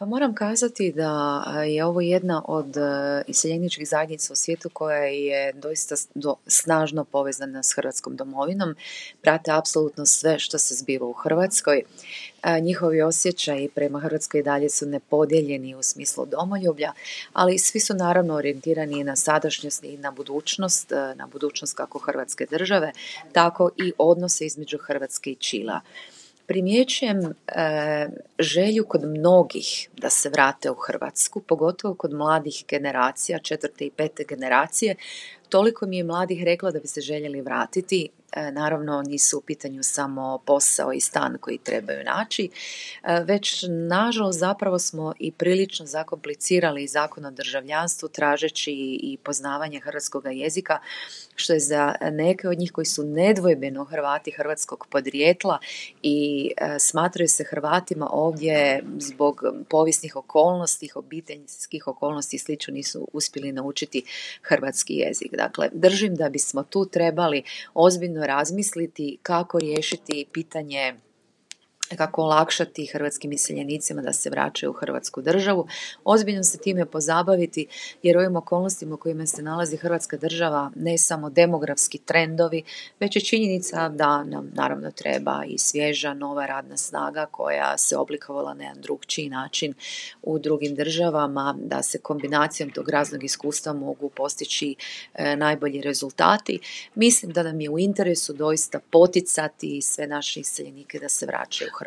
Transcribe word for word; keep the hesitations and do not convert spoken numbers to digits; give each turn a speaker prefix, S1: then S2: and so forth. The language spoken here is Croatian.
S1: Pa moram kazati da je ovo jedna od iseljeničkih zajednica u svijetu koja je doista snažno povezana s Hrvatskom domovinom, prate apsolutno sve što se zbiva u Hrvatskoj. Njihovi osjećaji prema Hrvatskoj i dalje su nepodijeljeni u smislu domoljublja, ali svi su naravno orijentirani na sadašnjost i na budućnost, na budućnost kako Hrvatske države, tako i odnose između Hrvatske i Čilea. Primjećujem e, želju kod mnogih da se vrate u Hrvatsku, pogotovo kod mladih generacija, četvrte i pete generacije. Toliko mi je mladih reklo da bi se željeli vratiti. E, naravno nisu u pitanju samo posao i stan koji trebaju naći, e, već nažalost zapravo smo i prilično zakomplicirali zakon o državljanstvu tražeći i poznavanje hrvatskog jezika, što je za neke od njih koji su nedvojbeno Hrvati hrvatskog podrijetla i e, smatraju se Hrvatima ovdje zbog povijesnih okolnosti, obiteljskih okolnosti i slično nisu uspjeli naučiti hrvatski jezik. Dakle, držim da bismo tu trebali ozbiljno razmisliti kako riješiti pitanje, kako olakšati hrvatskim iseljenicima da se vraćaju u Hrvatsku državu, ozbiljno se time pozabaviti jer ovim okolnostima u kojima se nalazi Hrvatska država ne samo demografski trendovi, već je činjenica da nam naravno treba i svježa nova radna snaga koja se oblikovala na jedan drugčiji način u drugim državama, da se kombinacijom tog raznog iskustva mogu postići e, najbolji rezultati. Mislim da nam je u interesu doista poticati sve naše iseljenike da se vraćaju u